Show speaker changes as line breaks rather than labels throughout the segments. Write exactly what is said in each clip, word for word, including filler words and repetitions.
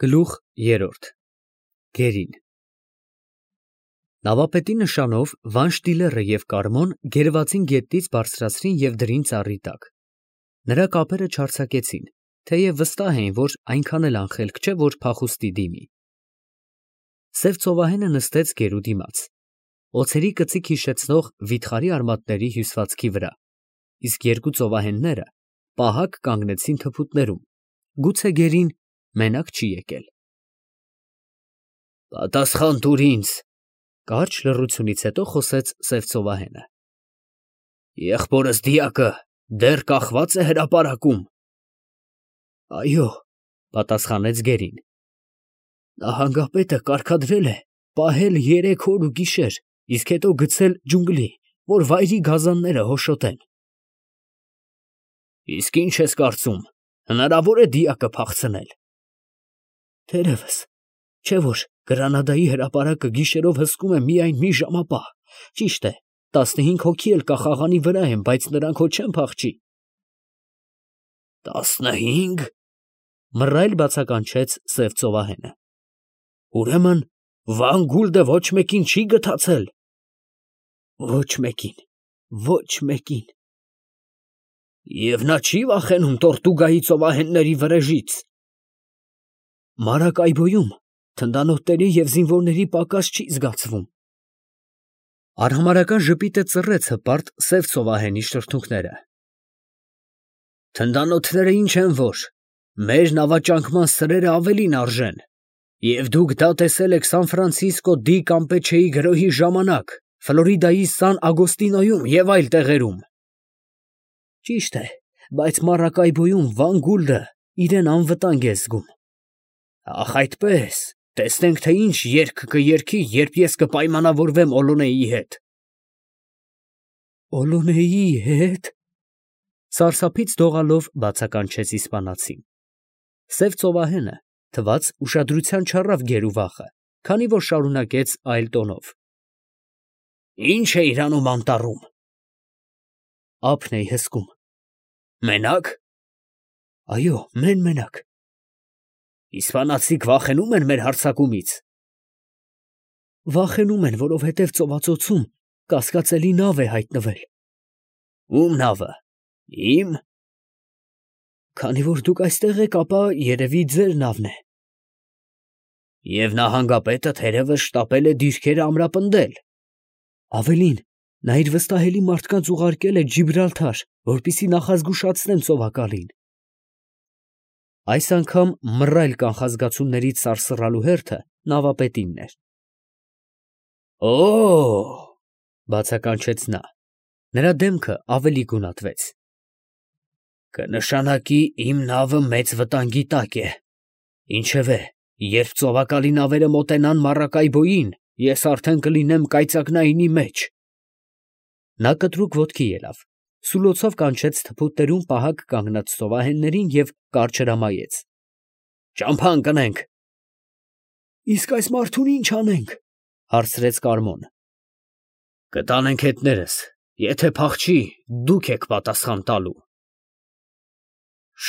Գլուխ երրորդ Գերին Նավապետի նշանով Վանշտիլերը և Կարմոն գերվացին գետնից բարձրացրին և դրին ծառի տակ. նրա կապերը չարձակեցին, թեև վստահ էին, որ այնքան էլ անխելք չէ, որ փախուստի դիմի: Սև ծովահենը նստեց գերու դիմաց, օձերի կծիկ հիշեցնող վիթխարի արմատների հյուսվածքի վրա, իսկ երկու ծովահենները պահակ կանգնեցին թփուտներում, գուցե գերին մենակ չի եկել: Պատասխան տուր ինձ, կարճ լռությունից հետո խոսեց սև ծովահենը: Եղբորս դիակը դեռ կախվա՞ծ է հրապարակում: Այո, պատասխանեց գերին: Նահանգապետը կարգադրել է պահել երեք օր ու գիշեր, իսկ հետո գցել ջունգլի, որ վայրի գազանները հոշոտեն: Իսկ ի՞նչ ես կարծում, հնարավո՞ր է դիակը փախցնել: Թերևս, չէ՞ որ Գրանադայի հրապարակը գիշերով հսկում է միայն մի ժամապահ, ճիշտ է, տասնհինգ հոգի էլ կա խաղանի վրա են, բայց նրանք հո չեն փախչի: Տասնհի՞նգ, մռայլ բացականչեց սև ծովահենը: Ուրեմն Վան Գուլդը ոչ մեկին չի գթացել: Ոչ մեկին, ոչ մեկին: Եվ նա չի վախենում Տորտուգայի ծովահենների վրեժից: Մարակայբոյում թնդանոթների և զինվորների պակաս չի զգացվում: Արհամարհական ժպիտը ծռեց հպարտ սև ծովահենի շրթունքները: Թնդանոթները ինչ են որ, մեր նավաճանկման սրերը ավելին արժեն, և դուք դա տեսել եք Սան Ֆրանցիսկո դի Կամպեչեի գրոհի ժամանակ, Ֆլորիդայի Սան Ագոստինոյում և այլ տեղերում: Ճիշտ է, բայց Մարակայբոյում Վան Գուլդը իրան անվտանգ է զգում: Ախ այդպես, տեսնենք, թե ինչ երգ կերգի, երբ ես կպայմանավորվեմ Օլոնեի հետ: Օլոնեի հետ, սարսափից դողալով բացականչեց իսպանացին: Սև ծովահենը, թվաց, ուշադրության չառավ գերու վախը, քանի որ շարունակեց այլ տոնով. Ի՞նչ էիր անում անտառում: Ափն էի հսկում: Մենա՞կ: Այո, մեն֊մենակ: Իսպանացիք վախենո՞ւմ են մեր հարձակումից: Վախենում են, որովհետև ծովածոցում կասկածելի նավ է հայտնվել: Ո՞ւմ նավը: Ի՞մ: Քանի որ դուք այստեղ եք, ապա երևի ձեր նավն է: Եվ նահանգապետը թերևս շտապել է դիրքերը ամրապնդել: Ավելին, նա իր վստահելի մարդկանց ուղարկել է Ջիբրալթար, որպեսզի նախազգուշացնեն ծովակալին: Այս անգամ մռայլ կանխազգացումներից սարսռալու հերթը նավապետինն էր: Օ՜օ, բացականչեց նա: Նրա դեմքը ավելի գունատվեց: Կնշանակի իմ նավը մեծ վտանգի տակ է: Ինչևէ, երբ ծովակալի նավերը մոտենան Մարակայբոյին, ես արդեն կլինեմ կայծակնայինի մեջ: Նա կտրուկ ոտքի ելավ, սուլոցով կանչեց թփուտներում պահակ կանգնած ծովահեններին և կարճ հրամայեց. Ճամփա ընկնենք: Իսկ այս մարդուն ի՞նչ անենք, հարցրեց Կարմոն: Կտանենք հետներս, եթե փախչի, դուք եք պատասխան տալու: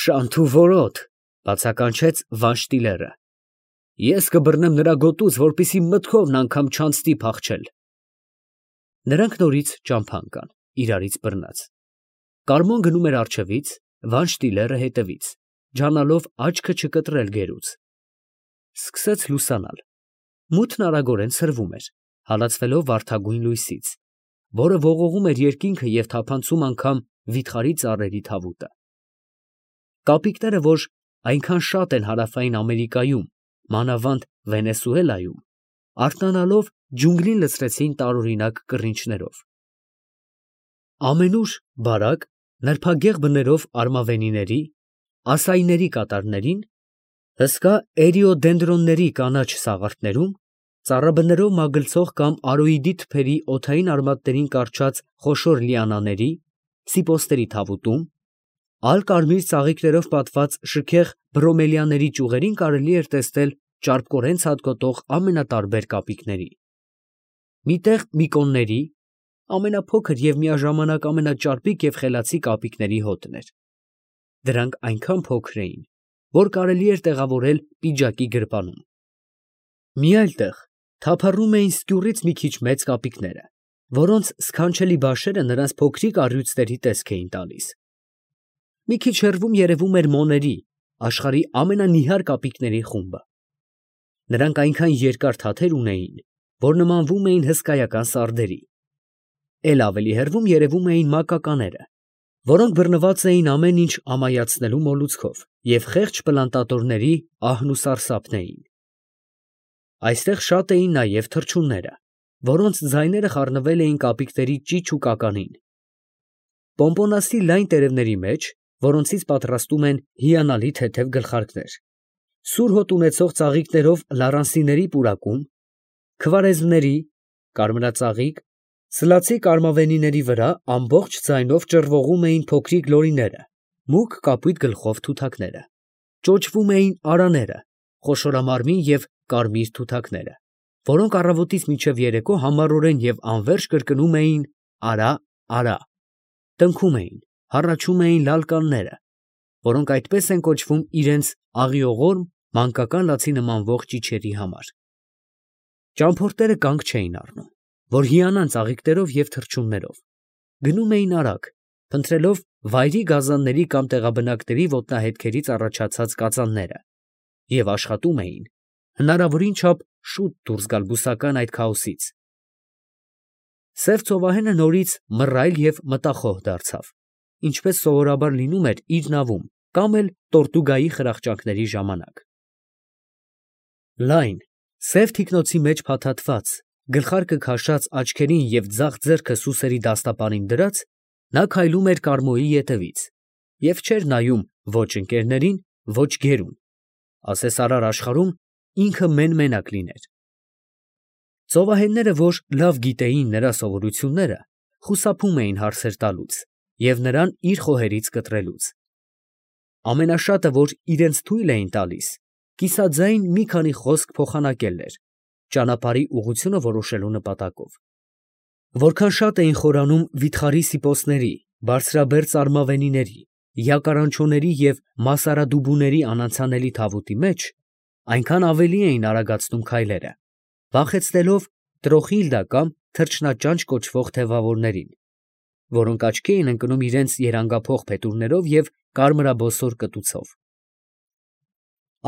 Շանթ ու որոտ, բացականչեց Վանշտիլերը: Ես կբռնեմ նրա գոտուց, որպեսզի մտքովն անգամ չանցնի փախչել: Նրանք նորից ճամփա ընկան, իրարից բռնած: Կարմոն գնում էր առջևից, Վանշտիլերը հետևից, ջանալով աչքը չկտրել գերուց: Սկսեց լուսանալ: Մութն արագորեն ցրվում էր, հալածվելով վարդագույն լույսից, որը ողողում էր երկինքը և թափանցում անգամ վիթխարի ծառերի թավուտը: Կապիկները, որ այնքան շատ են Հարավային Ամերիկայում, մանավանդ Վենեսուելայում, արթնանալով ջունգլին լցրեցին տարօրինակ կռինչներով: Ամենուր բարակ, նրբագեղ բներով արմավենիների, ասայիների կատարներին, հսկա էրիոդենդրոնների կանաչ սաղարթներում, ծառաբներով մագլցող կամ արոիդի թփերի օդային արմատներին կառչած խոշոր լիանաների, սիպոստերի թավուտում, ալ֊կարմիր ծաղիկներով պատված շքեղ բրոմելիաների ճյուղերին կարելի էր տեսնել ճարպկորեն ցատկոտող ամենատարբեր կապիկների: Մի տեղ միկոնների, ամենափոքր և միաժամանակ ամենաճարպիկ և խելացի կապիկների հոտն էր: Դրանք այնքան փոքր էին, որ կարելի էր տեղավորել պիջակի գրպանում։ Մի այլ տեղ թափառում էին սկյուռից մի քիչ մեծ կապիկները, որոնց սքանչելի բաշերը նրանց փոքրիկ առյուծների տեսք էին տալիս։ Մի քիչ հեռվում երևում էր մոների, աշխարհի ամենանիհար կապիկների խումբը։ Նրանք այնքան երկար թաթեր ունեին, որ նմանվում էին հսկայական սարդերի։ Էլ ավելի հեռվում երևում էին մակականները, որոնք բռնված էին ամեն ինչ ամայացնելու մոլուցքով և խեղճ պլանտատորների ահն ու սարսափն էին։ Այստեղ շատ էին նաև թռչունները, որոնց ձայները խառնվել էին կապիկների ճիչ ու կականին։ Պոմպոնասի լայն տերևների մեջ, որոնցից պատրաստում են հիանալի թեթև գլխարկներ, սուր հոտ ունեցող ծաղիկներով լարանսիների պուրակում, քվարեզմների, կարմրածաղիկ, սլացի կարմավենիների վրա ամբողջ ձայնով ճռվողում էին փոքրիկ լորիները, մուգ կապույտ գլխով թութակները, ճոճվում էին արաները, խոշորամարմին և կարմիր թութակները, որոնք առավոտից մինչև երեկո համառորեն և անվերջ կրկնում էին արա, արա, տնքում էին, հառաչում էին լալկանները, որոնք այդպես են կոչվում իրենց աղիողորմ, մանկական լացի նմանվող ճիչերի համար։ Ճամփորդները կանգ չէին առնում, որ հիանան ծաղիկներով և թռչուններով, գնում էին արագ, փնտրելով վայրի գազանների կամ տեղաբնակների ոտնահետքերից առաջացած կածանները և աշխատում էին հնարավորին չափ շուտ դուրս գալ բուսական այդ քաոսից։ Սև ծովահենը նորից մռայլ և մտախոհ դարձավ, ինչպես սովորաբար լինում էր իր նավում կամ էլ Տորտուգայի խրախճանքների ժամանակ։ Լայն, սև թիկնոցի մեջ փաթաթված, գլխարկը քաշած, աչքերին և ձախ ձեռքը սուսերի դաստապանին դրած, նա քայլում էր Կարմոյի ետևից և չէր նայում ոչ ընկերներին, ոչ գերուն, ասես արար աշխարհում ինքը մեն֊մենակ լիներ։ Ծովահենները, որ լավ գիտեին նրա սովորությունները, խուսափում էին հարցեր տալուց և նրան իր խոհերից կտրելուց։ Ամենաշատը, որ իրենց թույլ էին տալիս, կիսաձայն մի քանի խոսք փոխանակելն էր, ճանապարհի ուղղությունը որոշելու նպատակով։ Որքան շատ էին խորանում վիթխարի սիպոսների, բարձրաբերձ արմավենիների, յակարանչոների և մասարադուբուների անանցանելի թավուտի մեջ, այնքան ավելի էին արագացնում քայլերը, վախեցնելով տրոխիլդա կամ թռչնաճանճ կոչվող թևավորներին, որոնք աչքի էին ընկնում իրենց երանգափող փետուրներով և կարմրաբոսոր կտուցով։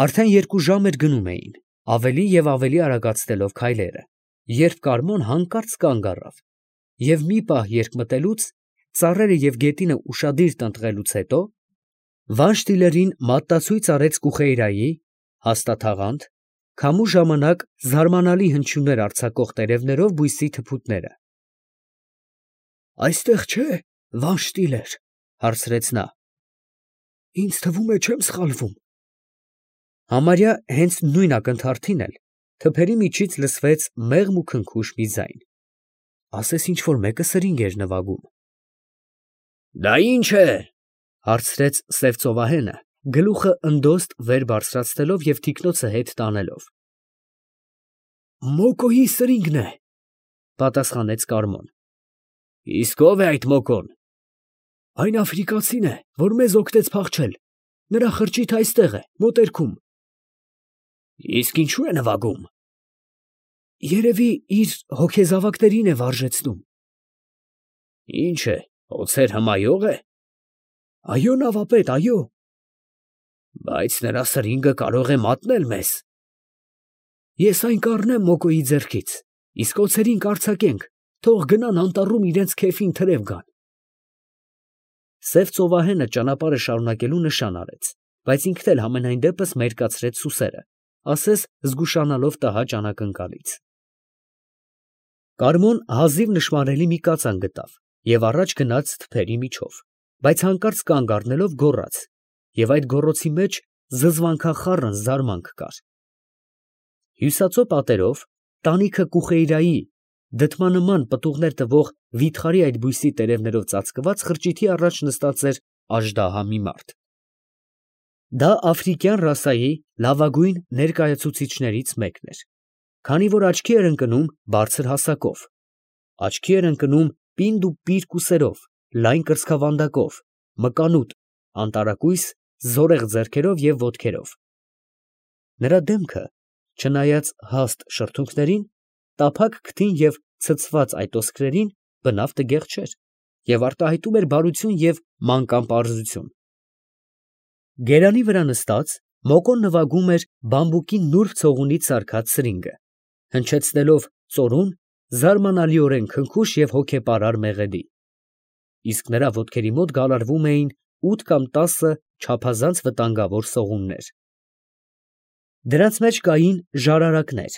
Արդեն երկու ժամ էր գնում էին, ավելի և ավելի արագացնելով քայլերը, երբ Կարմոն հանկարծ կանգ առավ և մի պահ երկմտելուց, ծառերը և գետինը ուշադիր տնտղելուց հետո, Վանշտիլերին մատնացույց արեց Կուխեյրայի (հաստատաղանդ) քամու ժամանակ զարմանալի հնչյուններ արձակող տերևներով բույսի թփուտները։ ֊ Այստեղ չէ՞, Վանշտիլեր, ֊ հարցրեց նա։ ֊ Ինձ թվում է, չեմ սխալվում։ Համարյա հենց նույն ակնթարթին էլ թփերի միջից լսվեց մեղմ ու քնքուշ մի ձայն, ասես ինչ֊որ մեկը սրինգ էր նվագում։ ֊ Դա ի՞նչ է, ֊ հարցրեց սև ծովահենը, գլուխը ընդոստ վեր բարձրացնելով և թիկնոցը հետ տանելով։ ֊ Մոկոյի սրինգն է, ֊ պատասխանեց Կարմոն։ ֊ Իսկ ո՞վ է այդ Մոկոն։ ֊ Այն աֆրիկացին է, որ մեզ օգնեց փախչել, նրա խրճիթը այստեղ է, մոտերքում։ ֊ Իսկ ինչո՞ւ է նվագում։ ֊ Երևի իր հոգեզավակներին է վարժեցնում։ ֊ Ի՞նչ է, օձեր հմայո՞ղ է։ ֊ Այո, նավապետ, այո։ ֊ Բայց նրա սրինգը կարող է մատնել մեզ։ ֊ Ես այն կառնեմ Մոկոյի ձեռքից, իսկ օձերին կարձակենք, թող գնան անտառում իրանց քեֆին թրև գան։ Սև ծովահենը ճանապարհը շարունակելու նշան արեց, բայց ինքն էլ համենայն դեպս մերկացրեց սուսերը, ասես զգուշանալով տհաճ անակնկալից։ Կարմոն հազիվ նշմարելի մի կածան գտավ և առաջ գնաց թփերի միջով, բայց հանկարծ կանգ առնելով գոռաց, և այդ գոռոցի մեջ զզվանքախառն զարմանք կար։ Հյուսածո պատերով, տանիքը Կուխեյրայի, դդմանման պտուղներ տվող վիթխարի այդ բույսի տերևներով ծածկված խրճիթի առաջ նստած էր աժդահա մի մարդ։ Դա աֆրիկյան ռասայի լավագույն ներկայացուցիչներից մեկն էր, քանի որ աչքի էր ընկնում բարձր հասակով, աչքի էր ընկնում պինդ ու պիր կուսերով, լայն կրծքավանդակով, մկանուտ, անտարակույս զորեղ ձեռքերով և ոտքերով։ Նրա դեմքը, չնայած հաստ շրթունքներին, տափակ քթին և ցցված այտոսկրերին, բնավ տգեղ չէր և արտահայտում էր բարություն և մանկան պարզություն։ Գերանի վրա նստած, Մոկոն նվագում էր բամբուկի նուրբ ցողունից սարքած սրինգը, հնչեցնելով ծորուն, զարմանալիորեն քնքուշ և հոգեպարար մեղեդի, իսկ նրա ոտքերի մոտ գալարվում էին ութ կամ տասը չափազանց վտանգավոր սողուններ։ Դրանց մեջ կային ժարարակներ,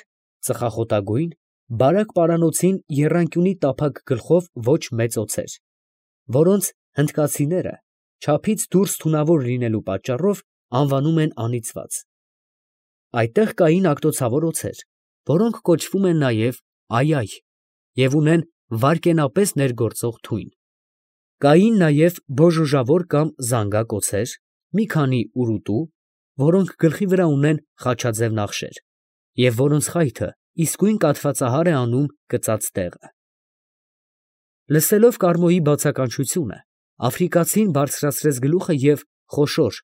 ծխախոտագույն, բարակ պարանոցին եռանկյունի տափակ գլխով ոչ մեծ օձեր, որոնց հնդկացիները, չափից դուրս թունավոր լինելու պատճառով, անվանում են անիծված։ Այդտեղ կային ագտոցավոր օձեր, որոնք կոչվում են նաև այայ և ունեն վայրկենապես ներգործող թույն։ Կային նաև բոժոժավոր կամ զանգակ օձեր, մի քանի ուռուտու, որոնք գլխի վրա ունեն խաչաձև նախշեր, և որոնց խայթը իսկույն կաթվածահար է անում կծած տեղը։ Լսելով Կարմոյի բացականչությունը, աֆրիկացին բարձրացրեց գլուխը և խոշոր,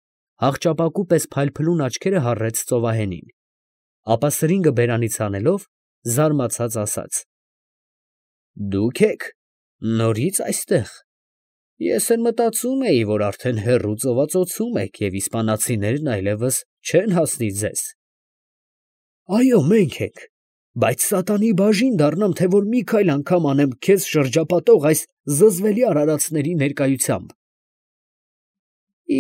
հաղճապակու պես փայլփլուն աչքերը հառեց ծովահենին, ապա սրինգը բերանից հանելով, զարմացած ասաց. ֊ Դուք ե՞ք նորից այստեղ. ես էլ մտածում էի, որ արդեն հեռու ծովածոցում եք և իսպանացիներն այլևս չեն հասնի ձեզ։ ֊ Այո, մենք ենք, բայց սատանի բաժին դառնամ, թե որ մի քայլ անգամ անեմ քեզ շրջապատող այս զզվելի արարածների ներկայությամբ։ ֊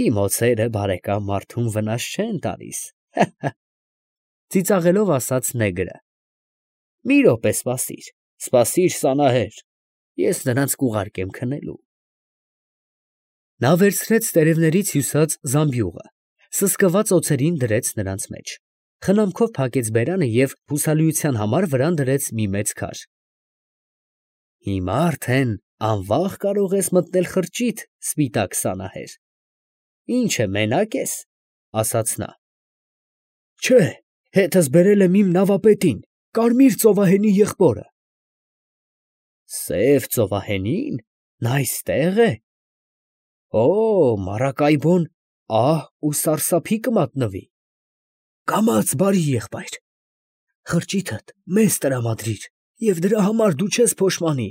Իմ օձերը, բարեկամ, մարդուն վնաս չեն տալիս, հը, հը, ֊ ծիծաղելով ասաց նեգրը։ ֊ Մի րոպե սպասիր, սպասիր, Սանահեր, ես նրանց կուղարկեմ քնելու։ Նա վերցրեց տերևներից հյուսած զամբյուղը, սսկված օձերին դրեց նրանց մեջ, խնամքով փակեց բերանը և հուսալիության համար վրան դրեց մի մեծ քար։ ֊ Հիմա արդեն անվաղ կարող ես մտնել խրճիթ, սպիտակ Սանահեր։ ֊ Ի՞նչ է, մենակ ես, ֊ ասաց նա։ ֊ Չէ, հետս բերել եմ իմ նավապետին, Կարմիր ծովահենի եղբորը։ ֊ Սև ծովահենի՞ն, նա այստեղ է։ ֊ Օ՜, մառակայբոն ահ ու սարսափի կմատնվի։ ֊ Կամաց, բարի եղբայր, խրճիթդ մեզ տրամադրիր և դրա համար դու չես փոշմանի։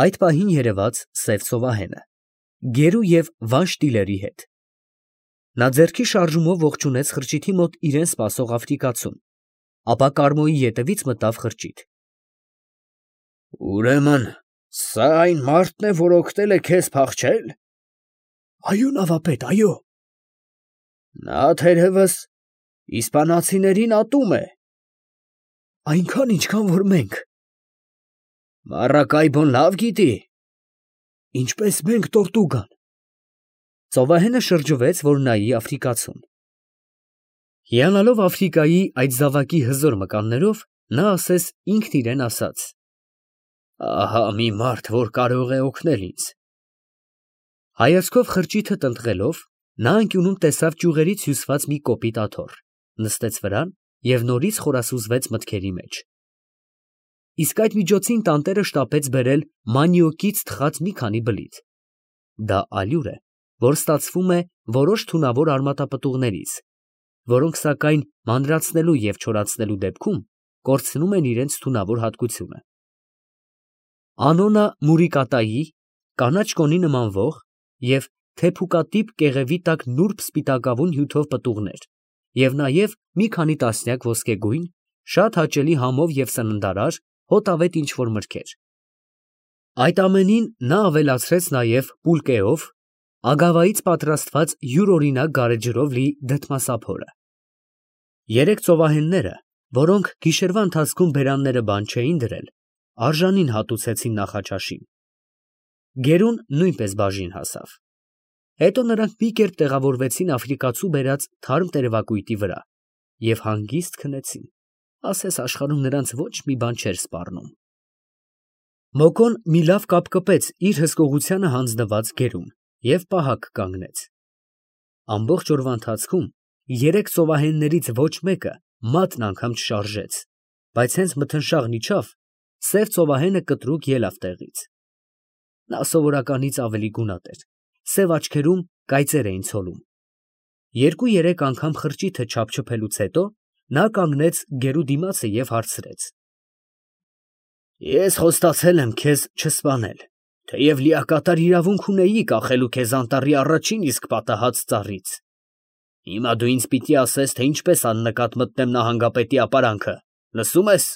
Այդ պահին երևաց սև ծովահենը, գերու և վանշ տիլերի հետ։ Նա ձեռքի շարժումով ողջունեց խրճիթի մոտ իրան սպասող աֆրիկացուն, ապա Կարմոյի ետևից մտավ խրճիթ։ ֊ Ուրեմն սա այն մարդն է, որ օգնել է քեզ փախչել։ ֊ Այո, նավապետ, այո։ ֊ Նա թերևս իսպանացիներին ատում է։ ֊ Այնքան, ինչքան որ մենք։ ֊ Մառակայբոն լավ գիտի։ ֊ Ինչպես մենք Տորտուգան։ Ծովահենը շրջվեց, որ նայի աֆրիկացուն։ Հիանալով Աֆրիկայի այդ զավակի հզոր մկաններով, նա ասես ինքն իրան ասաց. «Ահա մի մարդ, որ կարող է օգնել ինձ»։ Հայացքով խրճիթը տնտղելով, նա անկյունում տեսավ ճյուղերից հյուսված մի կոպիտ աթոռ, նստեց վրան և նորից խորասուզվեց մտքերի մեջ։ Իսկ այդ միջոցին տանտերը շտապեց բերել մանիոկից թխած մի քանի բլիթ. դա ալյուր է, որ ստացվում է որոշ թունավոր արմատապտուղներից, որոնք, սակայն, մանրացնելու և չորացնելու դեպքում կորցնում են իրենց թունավոր հատկությունը։ Անոնա մուրիկատայի, կանաչ կոնի նման ոխ և թեփուկատիպ կեղևի տակ նուրբ սպիտակավուն հյութով պտուղներ և նաև մի քանի տասնյակ ոսկեգույն, շատ հաճելի համով և սննդարար, հոտավետ ինչ֊որ մրգեր։ Այդ ամենին նա ավելացրեց նաև պուլկեով, ագավայից պատրաստված յուրօրինակ գարեջրով լի դդմասափորը։ Երեք ծովահենները, որոնք գիշերվա ընթացքում բերանները բան չէին դրել, արժանին հատուցեցին նախաճաշին։ Գերուն նույնպես բաժին հասավ։ Հետո նրանք մի կերպ տեղավորվեցին աֆրիկացու բերած թարմ տերևակույտի վրա և հանգիստ քնեցին, ասես աշխարհում նրանց ոչ մի բան չէր սպառնում։ Մոկոն մի լավ կապ կպեց իր հսկողությանը հանձնված գերուն և պահակ կանգնեց։ Ամբողջ օրվա ընթացքում երեք ծովահեններից ոչ մեկը մատն անգամ չշարժեց, բայց հենց մթնշաղն իջավ, սև ծովահենը կտրուկ ելավ տեղից։ Նա սովորականից ավելի գունատ էր, սև աչքերում կայծեր էին ցոլում։ Երկու֊երեք անգամ խրճիթը չափչփելուց հետո նա կանգնեց գերու դիմացը և հարցրեց. Ես խոստացել եմ քեզ չսպանել, թեև լիակատար իրավունք ունեի կախելու քեզ անտառի առաջին իսկ պատահած ծառից. հիմա դու ինձ պիտի ասես, թե ինչպես աննկատ մտնեմ նահանգապետի ապարանքը, լսո՞ւմ ես։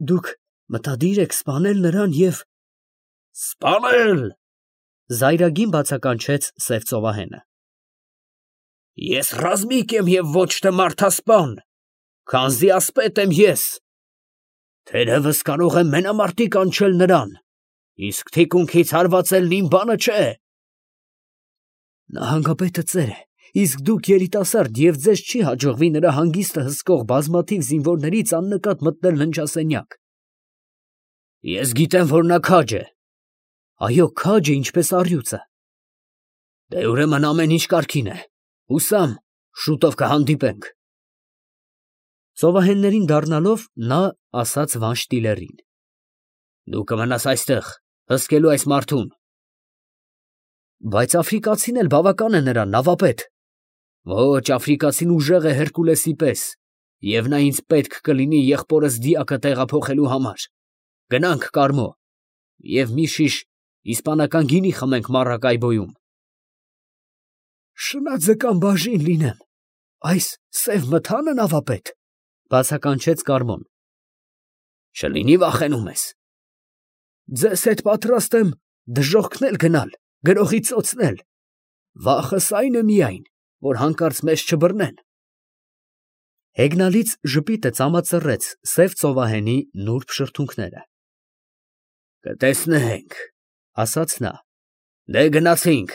Դուք մտադիր եք սպանել նրան և… Սպանել… զայրագին բացականչեց սև ծովահենը։ Ես ռազմիկ եմ և ոչ թե մարդասպան, քանզի ասպետ եմ ես. թերևս կարող եմ մենամարտի կանչել նրան, իսկ թիկունքից հարվածելն իմ բանը չէ։ Նահանգապետը ծեր է, իսկ դուք երիտասարդ և ձեզ չի հաջողվի նրա հանգիստը հսկող բազմաթիվ զինվորներից աննկատ մտնել ննջասենյակ։ Ես գիտեմ, որ նա քաջ է։ Այո, քաջ է, ինչպես առյուծը։ Դե ուրեմն ամեն ինչ կարգին է, հուսամ, շուտով կհանդիպենք։ Ծովահեններին դառնալով, նա ասաց Վանշտիլերին. Դու կմնաս այստեղ, հսկելու այս մարդուն։ Բայց աֆրիկացին էլ բավական է նրան, նավապետ։ Ոչ, աֆրիկացին ուժեղ է Հերկուլեսի պես, և նա ինձ պետք կլինի եղբորս դիակը տեղափոխելու համար։ Գնանք, Կարմո, և մի շիշ իսպանական գինի խմենք Մարակայբոյում։ Շնաձկան բաժին լինեմ, այս սև մթա՞նը, նավապետ, բացականչեց Կարմոն։ Չլինի վախենում ես։ Ձեզ հետ պատրաստ եմ դժոխքն էլ գնալ, գրողի ծոցն էլ, վախս այն է միայն, որ հանկարծ մեզ չբռնեն։ Հեգնալից ժպիտը ծամածռեց սև ծովահենի նուրբ շրթունքները։ Կտեսնենք, ասաց նա, դե գնացինք։